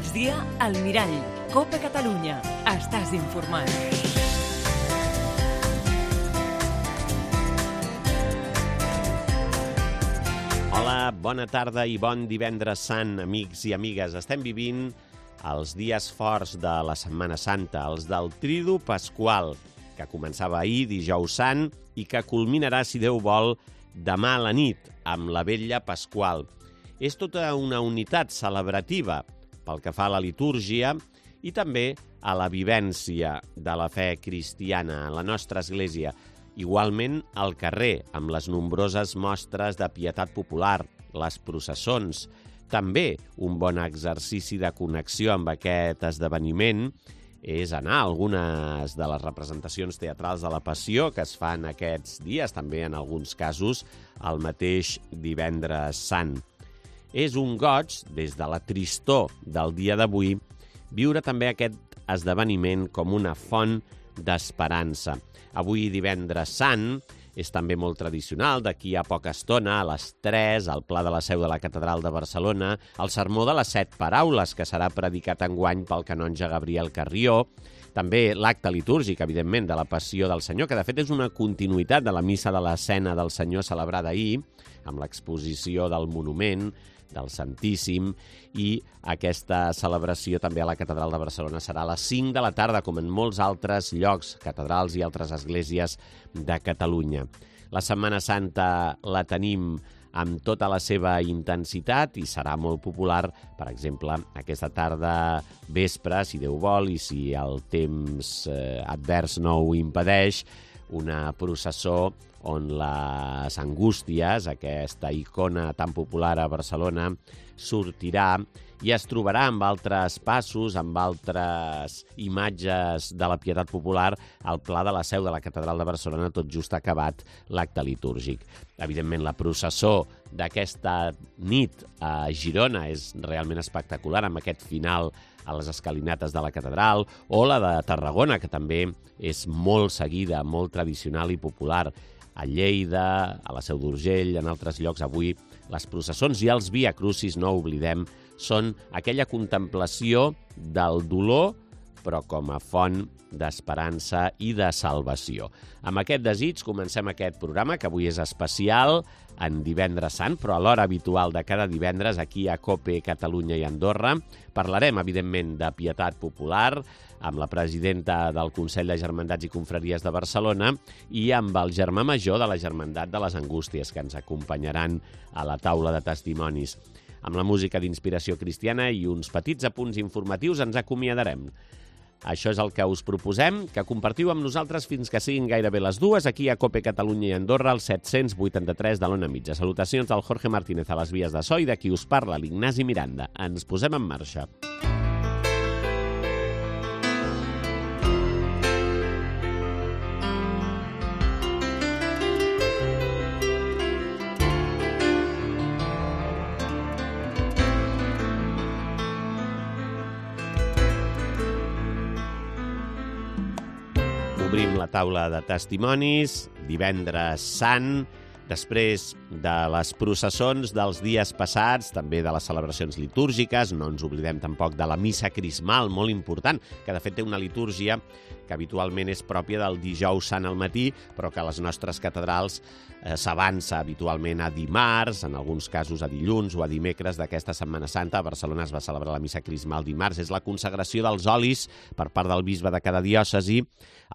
migdia, al Mirall. Copa Catalunya. Estàs informat. Hola, bona tarda i bon divendres sant, amics i amigues. Estem vivint els dies forts de la Setmana Santa, els del Tridu Pasqual, que començava ahir, dijous sant, i que culminarà, si Déu vol, demà a la nit, amb la Vetlla Pasqual. És tota una unitat celebrativa pel que fa a la litúrgia i també a la vivència de la fe cristiana a la nostra església. Igualment al carrer, amb les nombroses mostres de pietat popular, les processons. També un bon exercici de connexió amb aquest esdeveniment és anar a algunes de les representacions teatrals de la Passió que es fan aquests dies, també en alguns casos el mateix divendres sant. És un goig, des de la tristor del dia d'avui, viure també aquest esdeveniment com una font d'esperança. Avui, divendres sant, és també molt tradicional, d'aquí a poca estona, a les 3, al Pla de la Seu de la Catedral de Barcelona, el sermó de les 7 paraules, que serà predicat enguany pel canonge Gabriel Carrió, també l'acte litúrgic, evidentment, de la Passió del Senyor, que de fet és una continuïtat de la missa de l'Escena del Senyor celebrada ahir, amb l'exposició del monument, del Santíssim, i aquesta celebració també a la Catedral de Barcelona serà a les 5 de la tarda, com en molts altres llocs, catedrals i altres esglésies de Catalunya. La Setmana Santa la tenim amb tota la seva intensitat i serà molt popular, per exemple, aquesta tarda vespre, si Déu vol i si el temps advers no ho impedeix, una processó on les Angústies, aquesta icona tan popular a Barcelona, sortirà i es trobarà amb altres passos, amb altres imatges de la pietat popular al Pla de la Seu de la Catedral de Barcelona, tot just acabat l'acte litúrgic. Evidentment, la processó d'aquesta nit a Girona és realment espectacular, amb aquest final a les escalinates de la catedral, o la de Tarragona, que també és molt seguida, molt tradicional i popular. A Lleida, a la Seu d'Urgell, en altres llocs avui, les processons i els Via Crucis, no oblidem, són aquella contemplació del dolor, però com a font d'esperança i de salvació. Amb aquest desig comencem aquest programa, que avui és especial, en divendres sant, però a l'hora habitual de cada divendres, aquí a COPE Catalunya i Andorra. Parlarem, evidentment, de pietat popular, amb la presidenta del Consell de Germandats i Confraries de Barcelona i amb el germà major de la Germandat de les Angústies, que ens acompanyaran a la taula de testimonis. Amb la música d'inspiració cristiana i uns petits apunts informatius ens acomiadarem. Això és el que us proposem, que compartiu amb nosaltres fins que siguin gairebé les 2, aquí a COPE Catalunya i Andorra, al 783 de l'Ona Mitja. Salutacions del Jorge Martínez a les vies de so i de qui us parla, l'Ignasi Miranda. Ens posem en marxa. Obrim la taula de testimonis, divendres sant, després de les processons dels dies passats, també de les celebracions litúrgiques, no ens oblidem tampoc de la missa crismal, molt important, que de fet té una litúrgia que habitualment és pròpia del dijous sant al matí, però que a les nostres catedrals s'avança habitualment a dimarts, en alguns casos a dilluns o a dimecres d'aquesta Setmana Santa. A Barcelona es va celebrar la missa crismal dimarts. És la consagració dels olis per part del bisbe de cada diòcesi,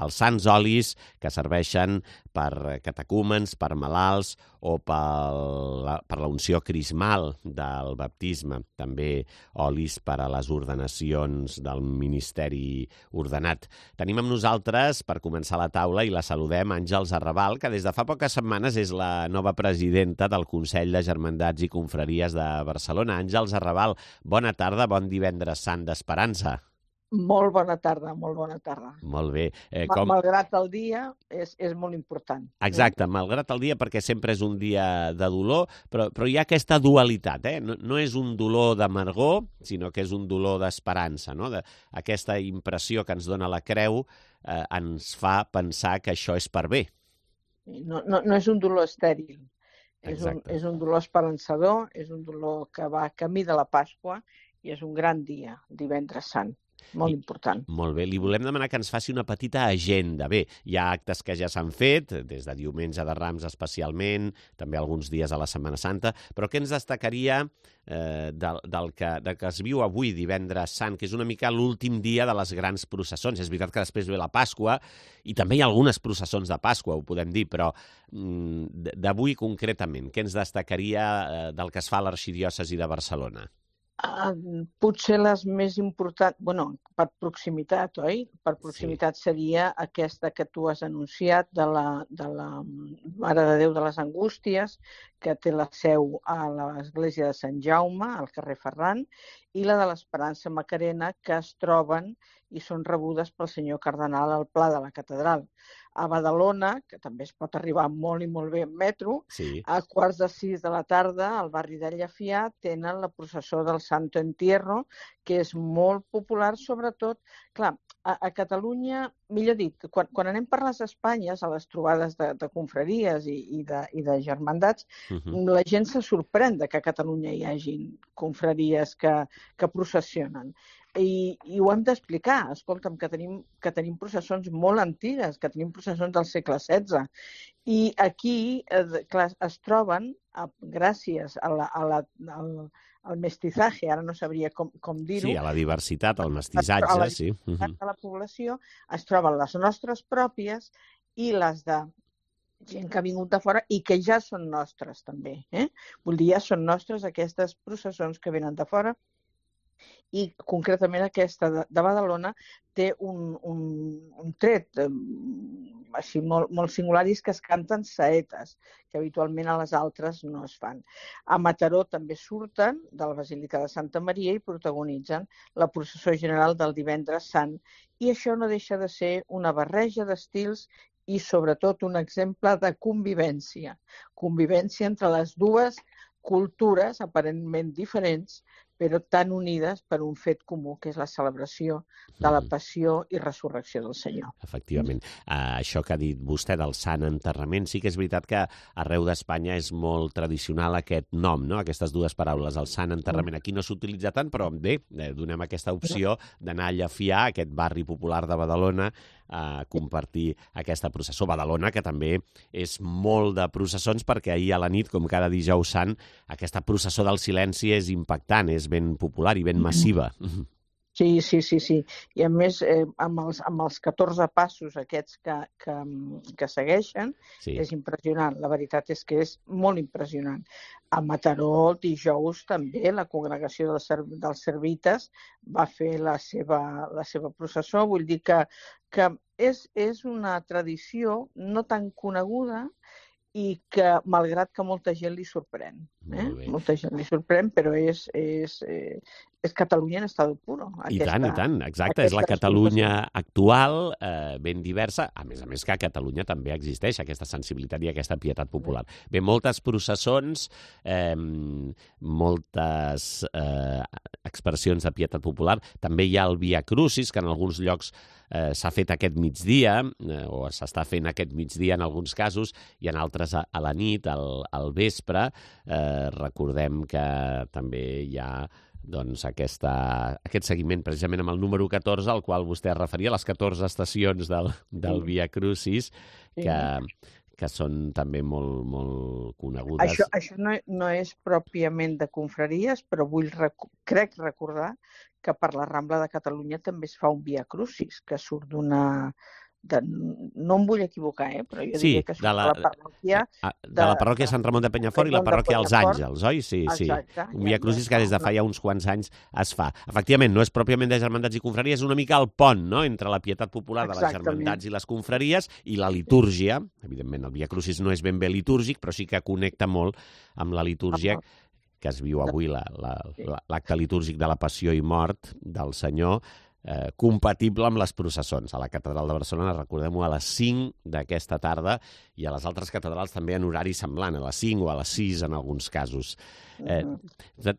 els sants olis que serveixen per catecúmens, per malalts o per la unció crismal del baptisme. També olis per a les ordenacions del ministeri ordenat. Tenim amb nosaltres, per començar la taula, i la saludem, Àngels Arrabal, que des de fa poques setmanes és la nova presidenta del Consell de Germandats i Confraries de Barcelona. Àngels Arrabal, bona tarda, bon divendres sant d'esperança. Molt bona tarda, molt bona tarda. Molt bé. Malgrat el dia, és molt important. Exacte, malgrat el dia, perquè sempre és un dia de dolor, però hi ha aquesta dualitat, No és un dolor d'amargor, sinó que és un dolor d'esperança, no? Aquesta impressió que ens dona la creu ens fa pensar que això és per bé. No és un dolor estèril. Exacte. És un dolor esperançador, és un dolor que va camí de la Pasqua i és un gran dia, divendres sant, molt important. Molt bé, li volem demanar que ens faci una petita agenda. Bé, hi ha actes que ja s'han fet, des de diumenge de Rams especialment, també alguns dies a la Setmana Santa, però què ens destacaria del que es viu avui, divendres sant, que és una mica l'últim dia de les grans processons? És veritat que després ve la Pasqua, i també hi ha algunes processons de Pasqua, ho podem dir, però d'avui concretament, què ens destacaria del que es fa a l'Arxidiòcesi de Barcelona? Potser les més importants, per proximitat, oi? Per proximitat seria aquesta que tu has anunciat de la Mare de Déu de les Angústies, que té la seu a l'església de Sant Jaume, al carrer Ferran, i la de l'Esperança Macarena, que es troben i són rebudes pel senyor cardenal al Pla de la Catedral. A Badalona, que també es pot arribar molt i molt bé en metro, Sí. a 5:45 de la tarda, al barri de Llafià, tenen la processó del Santo Entierro, que és molt popular, sobretot, clar, a Catalunya, millor dit, quan anem per les Espanyes, a les trobades de confraries i de germandats, la gent se sorprèn de que a Catalunya hi hagi confraries que processionen. I ho hem d'explicar. Escolta'm, que tenim processons molt antigues, que tenim processons del segle XVI. I aquí, clar, es troben, gràcies al mestizaje, ara no sabria com dir-ho. Sí, a la diversitat, al mestissatge, sí. De la població, es troben les nostres pròpies i les de gent que ha vingut de fora i que ja són nostres, també. Vull dir, ja són nostres aquestes processons que venen de fora. I concretament aquesta de Badalona té un tret així molt singular, i és que es canten saetes, que habitualment a les altres no es fan. A Mataró també surten de la Basílica de Santa Maria i protagonitzen la processó general del divendres sant, i això no deixa de ser una barreja d'estils i sobretot un exemple de convivència entre les dues cultures aparentment diferents, però tan unides per un fet comú, que és la celebració de la passió i resurrecció del Senyor. Efectivament. Això que ha dit vostè del Sant Enterrament, sí que és veritat que arreu d'Espanya és molt tradicional aquest nom, no? Aquestes dues paraules, el Sant Enterrament. Aquí no s'utilitza tant, però bé, donem aquesta opció d'anar a Llafià, aquest barri popular de Badalona, a compartir aquesta processó. Badalona, que també és molt de processons, perquè ahir a la nit, com cada dijous sant, aquesta processó del silenci és impactant, és ben popular i ben massiva. Sí. I a més, amb els 14 passos aquests que segueixen, és impressionant. La veritat és que és molt impressionant. A Mataró, el dijous, també la congregació dels Servites va fer la seva processó. Vull dir que és una tradició no tan coneguda i que, malgrat que molta gent li sorprèn. Molta gent li sorprèn, però és Catalunya en estado puro. I tant, exacte. És la Catalunya actual, ben diversa. A més que a Catalunya també existeix aquesta sensibilitat i aquesta pietat popular. Bé, moltes processons, moltes expressions de pietat popular. També hi ha el Via Crucis, que en alguns llocs s'ha fet aquest migdia, o s'està fent aquest migdia en alguns casos, i en altres a la nit, al vespre. Recordem que també hi ha aquest seguiment precisament amb el número 14, al qual vostè es referia, les 14 estacions del Via Crucis, que són també molt conegudes. Això no és pròpiament de confraries, però crec recordar que per la Rambla de Catalunya també es fa un Via Crucis, que surt d'una... No em vull equivocar, però jo diria que surt de la parròquia... De la parròquia Sant Ramon de Penyafort i la parròquia Els Àngels, oi? Sí. Un Via Crucis que des de fa ja uns quants anys es fa. Efectivament, no és pròpiament de germandats i confraries, és una mica el pont, no?, entre la pietat popular de les germandats i les confraries i la litúrgia. Evidentment, el Via Crucis no és ben bé litúrgic, però sí que connecta molt amb la litúrgia que es viu avui, l'acte litúrgic de la Passió i Mort del Senyor, compatible amb les processons. A la Catedral de Barcelona, recordem-ho, a les 5 d'aquesta tarda, i a les altres catedrals també en horari semblant, a les 5 o a les 6 en alguns casos.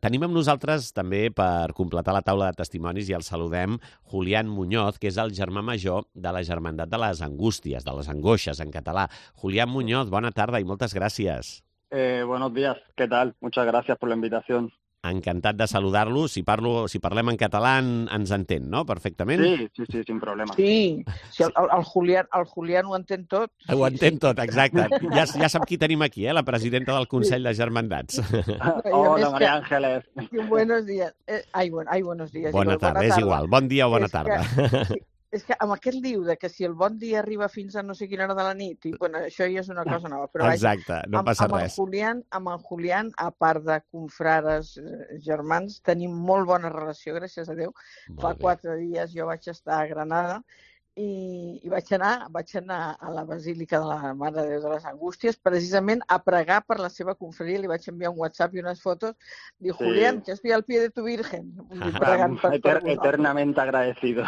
Tenim amb nosaltres també, per completar la taula de testimonis, i el saludem, Julián Muñoz, que és el germà major de la Germandat de les Angústies, de les Angoixes en català. Julián Muñoz, bona tarda i moltes gràcies. Buenos días, ¿qué tal? Muchas gracias por la invitación. Encantat de saludar-lo. Si parlem en català ens entén, no? Perfectament? Sí, sin problema. Sí, el Julián ho entén tot. Ho entén tot, exacte. Ja sap qui tenim aquí, la presidenta del Consell de Germandats. Hola, María Ángeles. Buenos días. Buenos días. Bona tarda, és igual. Bon dia o bona tarda. És que amb aquest liu de que si el bon dia arriba fins a no sé quina hora de la nit, i, bueno, això ja és una cosa nova. Però exacte, no passa res. Amb el Julián, a part de confrares germans, tenim molt bona relació, gràcies a Déu. Fa 4 dies jo vaig estar a Granada i vaig anar a la Basílica de la Mare de Déu de les Angústies precisament a pregar per la seva confraria. Li vaig enviar un WhatsApp i unes fotos. Diu, Julián, que estoy al pie de tu Virgen. Eternamente agradecido.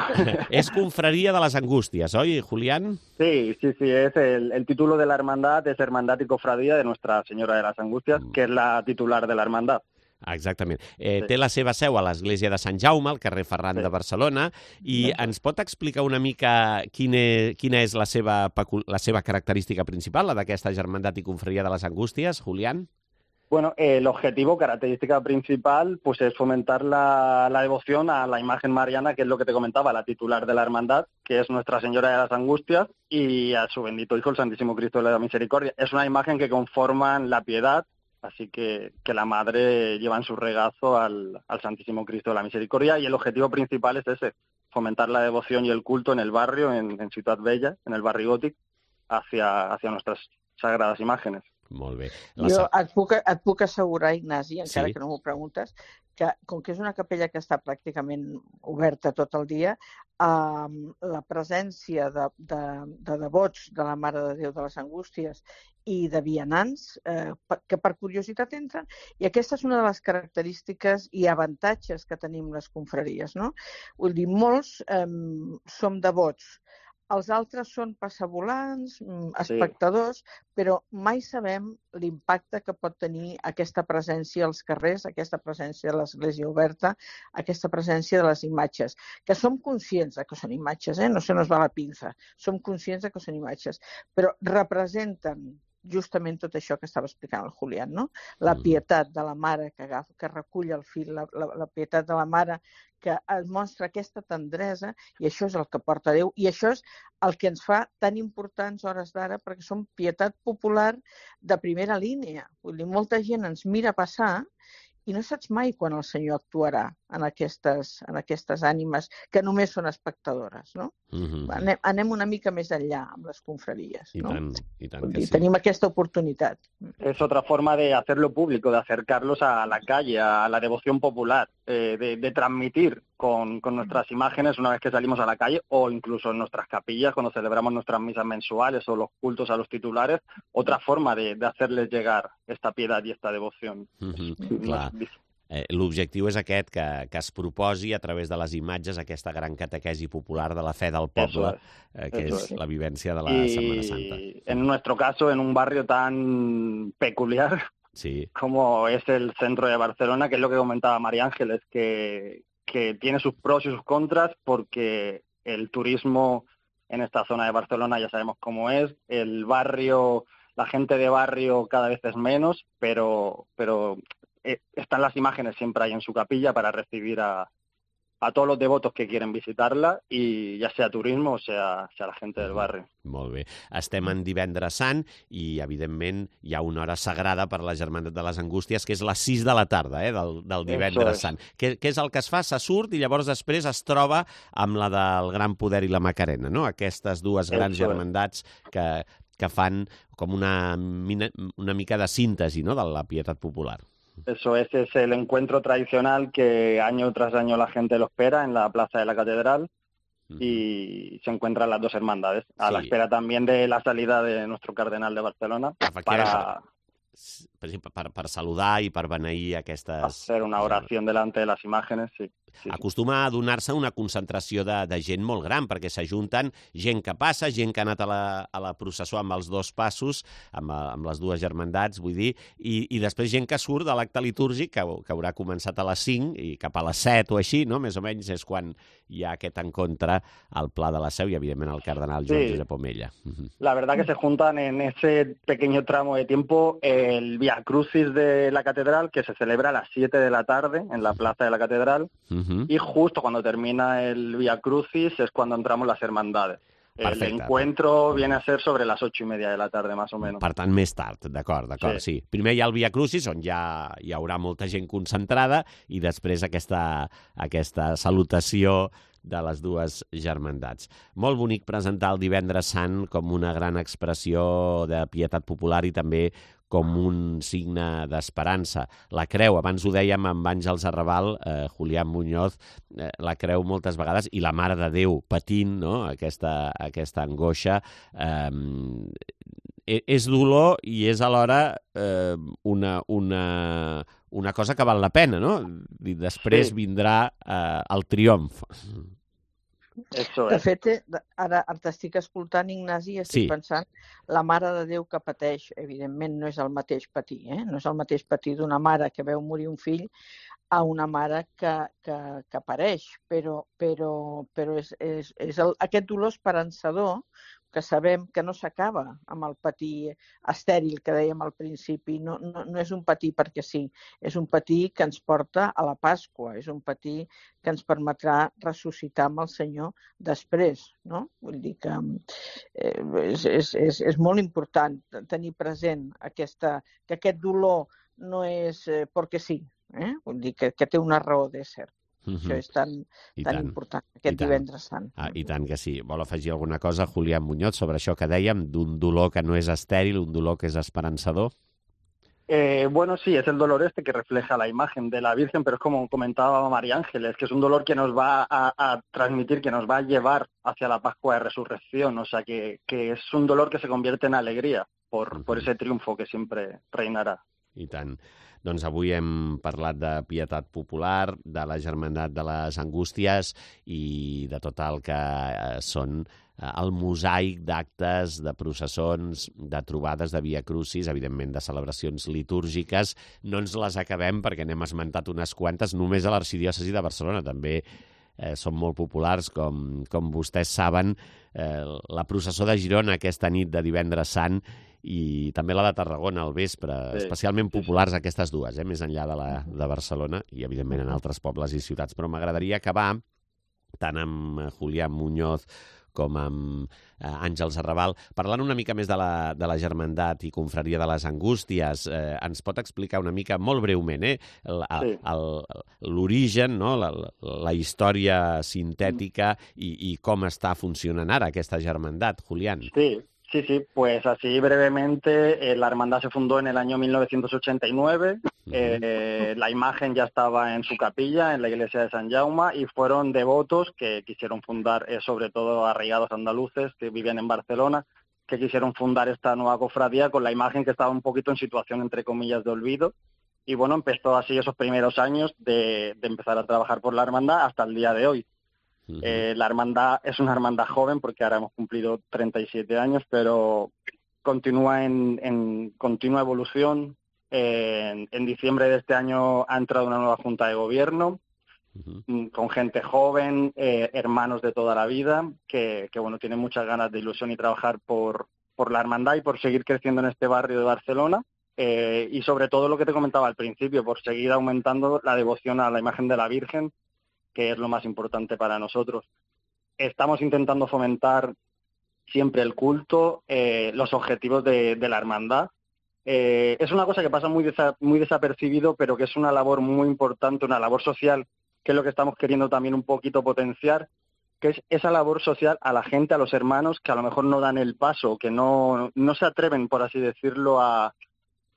Es Confraria de las Angustias, ¿oye, Julián? Sí, es el título de la hermandad, es Hermandad y Cofradía de Nuestra Señora de las Angustias, que es la titular de la hermandad. Exactament. Té la seva seu a l'església de Sant Jaume, al carrer Ferran de Barcelona, i ens pot explicar una mica quina és la seva característica principal, la d'aquesta Germandat i Confraria de les Angústies, Julián? Bueno, el objetivo, característica principal, pues es fomentar la devoción a la imagen mariana, que es lo que te comentaba, la titular de la hermandad, que es Nuestra Señora de las Angustias, y a su bendito Hijo, el Santísimo Cristo de la Misericordia. Es una imagen que conforman la piedad, así que la Madre lleva en su regazo al Santísimo Cristo de la Misericordia, y el objetivo principal es ese, fomentar la devoción y el culto en el barrio, en Ciutat Vella, en el barri gòtic, hacia nuestras sagradas imágenes. Molt bé. Jo et puc assegurar, Ignasi, encara que no m'ho preguntes, que com que és una capella que està pràcticament oberta tot el dia, la presència de devots de la Mare de Déu de les Angústies i de vianants que per curiositat entren, i aquesta és una de les característiques i avantatges que tenim les confraries, no? Vull dir, molts som devots, els altres són passavolants, espectadors, però mai sabem l'impacte que pot tenir aquesta presència als carrers, aquesta presència de l'església oberta, aquesta presència de les imatges, que som conscients que són imatges, no se nos va la pinza, som conscients que són imatges, però representen justament tot això que estava explicant el Julián, no? La pietat de la mare que recull el fill, la pietat de la mare que es mostra aquesta tendresa, i això és el que porta Déu, i això és el que ens fa tan importants hores d'ara, perquè som pietat popular de primera línia. Vull dir, molta gent ens mira passar i no saps mai quan el Senyor actuarà en aquestes ànimes que només són espectadores, no? Anem una mica més enllà amb les confraries, no? I tant que sí. Tenim aquesta oportunitat. Es otra forma de hacerlo público, de acercarlos a la calle, a la devoción popular, de transmitir con nuestras imágenes una vez que salimos a la calle, o incluso en nuestras capillas cuando celebramos nuestras misas mensuales o los cultos a los titulares, otra forma de hacerles llegar esta piedad y esta devoción. Clar. L'objectiu és aquest, que es proposi a través de les imatges aquesta gran catequesi popular de la fe del poble, que és la vivència de la Setmana Santa. En nuestro caso, en un barrio tan peculiar como es el centro de Barcelona, que es lo que comentaba María Ángeles, que tiene sus pros y sus contras, porque el turismo en esta zona de Barcelona ya sabemos cómo es, el barrio, la gente de barrio cada vez es menos, pero están las imágenes siempre ahí en su capilla para recibir a todos los devotos que quieren visitarla, i ja sea turismo o sea la gente del barri. Molt bé. Estem en Divendres Sant i, evidentment, hi ha una hora sagrada per la Germandat de les Angústies, que és les 6 de la tarda del Divendres Sant. Què és el que es fa? Se surt i llavors després es troba amb la del Gran Poder i la Macarena, no? Aquestes dues grans germandats que fan com una mica de síntesi, no?, de la pietat popular. Eso es el encuentro tradicional que año tras año la gente lo espera en la plaza de la Catedral, y se encuentran las dos hermandades, a la espera también de la salida de nuestro cardenal de Barcelona per saludar i per beneir aquestes... Hacer una oración delante de las imágenes, sí. acostuma a donar-se una concentració de gent molt gran, perquè s'ajunten gent que passa, gent que ha anat a la processó amb els dos passos, amb les dues germandats, vull dir, i després gent que surt de l'acte litúrgic, que haurà començat a les 5 i cap a les 7 o així, no? Més o menys és quan hi ha aquest encontre al Pla de la Seu i, evidentment, al cardenal Joan Josep Omella. La verdad que se juntan en ese pequeño tramo de tiempo el Vía Crucis de la catedral, que se celebra a las 7 de la tarde en la plaza de la catedral, y justo cuando termina el Vía Crucis es cuando entramos las hermandades. Perfecte. El encuentro viene a ser sobre las 8:30 de la tarde, más o menos. Per tant, més tard, d'acord, sí. Primer hi ha el Via Crucis, on ja hi haurà molta gent concentrada, i després aquesta salutació de les dues germandats. Molt bonic presentar el Divendres Sant com una gran expressió de pietat popular i també com un signe d'esperança. La creu, abans ho dèiem amb Àngels Arrabal, Julián Muñoz, la creu moltes vegades, i la Mare de Déu patint, no?, aquesta angoixa. És dolor i és alhora una cosa que val la pena, no? I després vindrà el triomf. De fet, ara t'estic escoltant, Ignasi, i estic pensant, la Mare de Déu que pateix, evidentment, no és el mateix patir, no és el mateix patir d'una mare que veu morir un fill a una mare que pareix, però és aquest dolor esperançador que sabem que no s'acaba amb el patir estèril que dèiem al principi. No és un patir perquè sí, és un patir que ens porta a la Pasqua, és un patir que ens permetrà ressuscitar amb el Senyor després, no? Vull dir que és molt important tenir present que aquest dolor no és perquè sí, vull dir que té una raó de ser. Això és tan important, aquest Divendres Sant. I tant que sí. Vol afegir alguna cosa, Julián Muñoz, sobre això que dèiem, d'un dolor que no és estèril, un dolor que és esperançador? Bueno, sí, es el dolor que refleja la imagen de la Virgen, pero es como comentaba María Ángeles, que es un dolor que nos va a transmitir, que nos va a llevar hacia la Pascua de Resurrección, o sea, que es un dolor que se convierte en alegría por ese triunfo que siempre reinarà. I tant. Doncs avui hem parlat de pietat popular, de la Germandat de les Angústies i de tot el que són el mosaic d'actes, de processons, de trobades de Via Crucis, evidentment de celebracions litúrgiques. No ens les acabem perquè n'hem esmentat unes quantes, només a l'Arxidiòcesi de Barcelona. També són molt populars, com vostès saben, la processó de Girona aquesta nit de Divendres Sant i també la de Tarragona al vespre, especialment populars aquestes dues, més enllà de Barcelona i, evidentment, en altres pobles i ciutats. Però m'agradaria acabar tant amb Julián Muñoz com amb Àngels Arrabal, parlant una mica més de la Germandat i Confraria de les Angústies. Ens pot explicar una mica, molt breument, l'origen, no? La història sintètica i com està funcionant ara aquesta Germandat, Julián? Sí, pues así brevemente, la hermandad se fundó en el año 1989, la imagen ya estaba en su capilla, en la iglesia de San Jaume, y fueron devotos que quisieron fundar, sobre todo arraigados andaluces que vivían en Barcelona, que quisieron fundar esta nueva cofradía con la imagen que estaba un poquito en situación, entre comillas, de olvido. Y bueno, empezó así esos primeros años de empezar a trabajar por la hermandad hasta el día de hoy. La hermandad es una hermandad joven porque ahora hemos cumplido 37 años, pero continúa en continua evolución. En diciembre de este año ha entrado una nueva junta de gobierno con gente joven, hermanos de toda la vida, que bueno, tienen muchas ganas de ilusión y trabajar por la hermandad y por seguir creciendo en este barrio de Barcelona. Y sobre todo lo que te comentaba al principio, por seguir aumentando la devoción a la imagen de la Virgen, que es lo más importante para nosotros. Estamos intentando fomentar siempre el culto, los objetivos de la hermandad. Es una cosa que pasa muy desapercibido, pero que es una labor muy importante, una labor social, que es lo que estamos queriendo también un poquito potenciar, que es esa labor social a la gente, a los hermanos que a lo mejor no dan el paso, que no se atreven, por así decirlo, a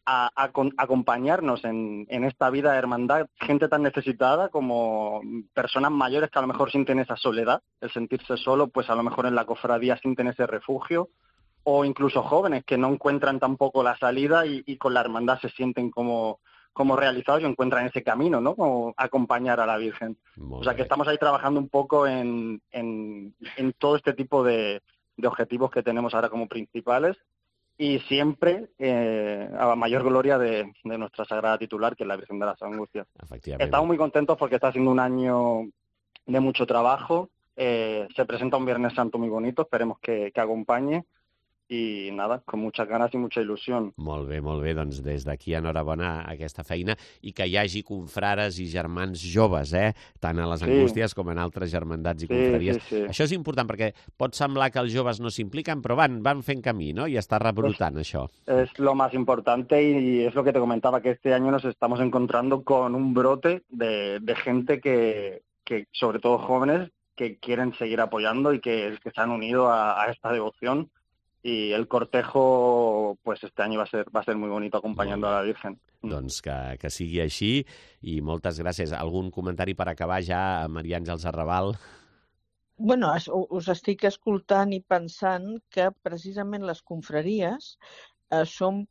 acompañarnos en esta vida de hermandad, gente tan necesitada como personas mayores que a lo mejor sienten esa soledad, el sentirse solo, pues a lo mejor en la cofradía sienten ese refugio, o incluso jóvenes que no encuentran tampoco la salida y con la hermandad se sienten como como realizados y encuentran ese camino, ¿no? Como acompañar a la Virgen. O sea, que estamos ahí trabajando un poco en todo este tipo de objetivos que tenemos ahora como principales y siempre a mayor gloria de nuestra sagrada titular, que es la Virgen de las Angustias. Estamos muy contentos porque está siendo un año de mucho trabajo. Se presenta un Viernes Santo muy bonito, esperemos que acompañe. I nada, con muchas ganas i mucha il·lusió. Molt bé, doncs des d'aquí enhorabona a aquesta feina i que hi hagi confrares i germans joves, tant a les Angústies com en altres germandats i confraries. Sí. Això és important perquè pot semblar que els joves no s'impliquen, però van fent camí, ¿no? I està rebrotant això. Es lo más importante y es lo que te comentaba, que este año nos estamos encontrando con un brote de gente que sobre todo jóvenes, que quieren seguir apoyando y que se han unido a esta devoción. Y el cortejo, pues este año va a ser muy bonito acompañando a la Virgen. Doncs que sigui així i moltes gràcies. Algun comentari per acabar ja, Maria Àngels Arrabal? Bueno, us estic escoltant i pensant que precisament les confraries són...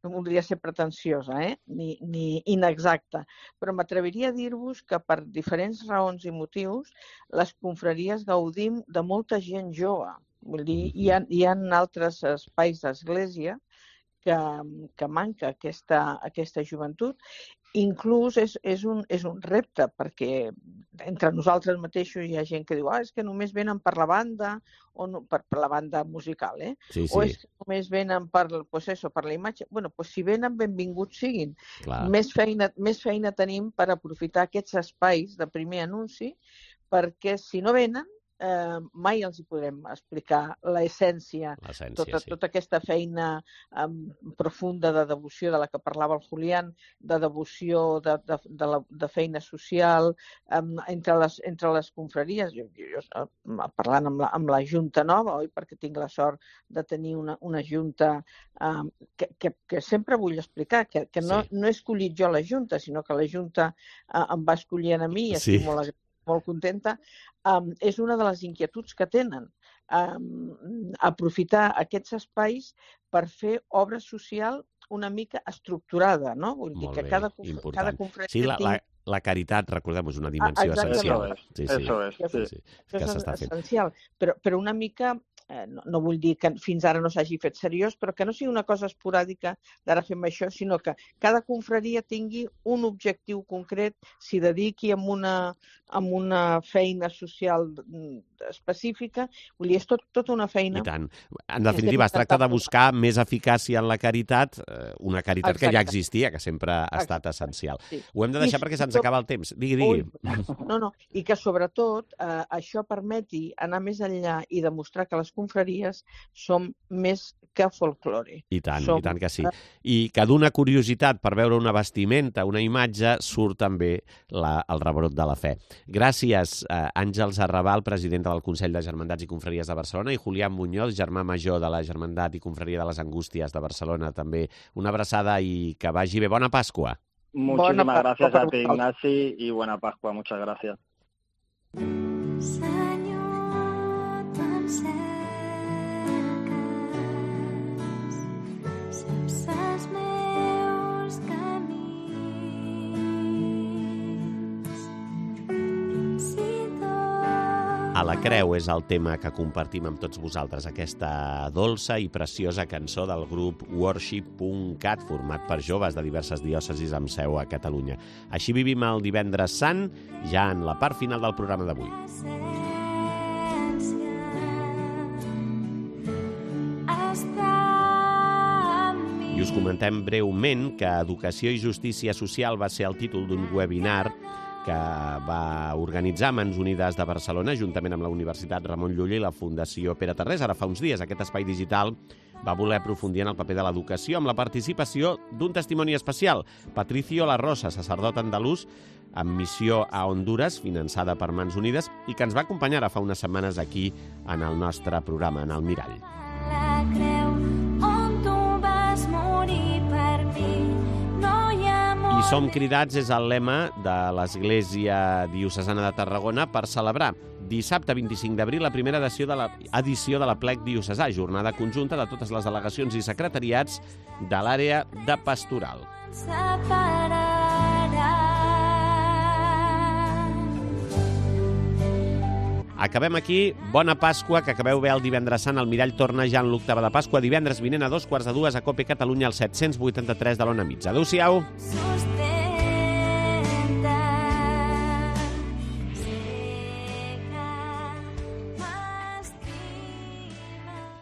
No voldria ser pretensiosa, ni inexacta, però m'atreviria a dir-vos que per diferents raons i motius les confraries gaudim de molta gent jove. Vull dir, hi ha altres espais d'església que manca aquesta joventut. Inclús és un repte, perquè entre nosaltres mateixos hi ha gent que diu és que només venen per la banda, o no, per la banda musical, Sí. O és que només venen per la imatge. Bueno, doncs si venen, benvinguts siguin. Clar. Més feina tenim per aprofitar aquests espais de primer anunci, perquè si no venen, mai els hi podrem explicar l'essència, tota aquesta feina profunda de devoció de la que parlava el Julián, de devoció, de feina social entre les confraries. Jo parlant amb la Junta Nova, perquè tinc la sort de tenir una Junta que sempre vull explicar, que no he escollit jo la Junta, sinó que la Junta em va escollint a mi i estic molt contenta. És una de les inquietuds que tenen, aprofitar aquests espais per fer obra social una mica estructurada, no? Vull dir que cada confraria... Sí, la caritat, recordem, és una dimensió essencial. Eso es. És essencial, però una mica... No vull dir que fins ara no s'hagi fet seriós, però que no sigui una cosa esporàdica d'ara fem això, sinó que cada confraria tingui un objectiu concret, s'hi dediqui amb una feina social específica. Vull dir, és tota una feina... I tant. En definitiva, es tracta de buscar més eficàcia en la caritat, una caritat que ja existia, que sempre ha estat essencial. Ho hem de deixar perquè se'ns acaba el temps. Digui. No, i que sobretot això permeti anar més enllà i demostrar que les confraries som més que folklore. I tant que sí. I que d'una curiositat per veure una vestimenta, una imatge, surt també el rebrot de la fe. Gràcies, Àngels Arrabal, presidenta del Consell de Germandats i Confraries de Barcelona, i Julián Muñoz, germà major de la Germandat i Confraria de les Angústies de Barcelona, també. Una abraçada i que vagi bé. Bona Pasqua. Muchísimas gracias a ti, Ignasi, y buena Pascua. Muchas gracias. A la creu és el tema que compartim amb tots vosaltres, aquesta dolça i preciosa cançó del grup Worship.cat, format per joves de diverses diòcesis amb seu a Catalunya. Així vivim el Divendres Sant, ja en la part final del programa d'avui. I us comentem breument que Educació i Justícia Social va ser el títol d'un webinar que va organitzar Mans Unides de Barcelona, juntament amb la Universitat Ramon Llull i la Fundació Pere Tarrés. Ara fa uns dies aquest espai digital va voler aprofundir en el paper de l'educació amb la participació d'un testimoni especial, Patricio La Rosa, sacerdot andalús amb missió a Honduras, finançada per Mans Unides, i que ens va acompanyar ara fa unes setmanes aquí en el nostre programa, en el Mirall. I som cridats és el lema de l'Església Diocesana de Tarragona per celebrar Dissabte 25 d'abril, la primera edició de l'Aplec Diocesà, jornada conjunta de totes les delegacions i secretariats de l'àrea de pastoral. Acabem aquí. Bona Pasqua, que acabeu bé el divendres sant. El mirall torna ja en l'octava de Pasqua. Divendres vinent a 2:45 a COPE Catalunya, al 783 de l'Ona Mitja. Adéu-siau.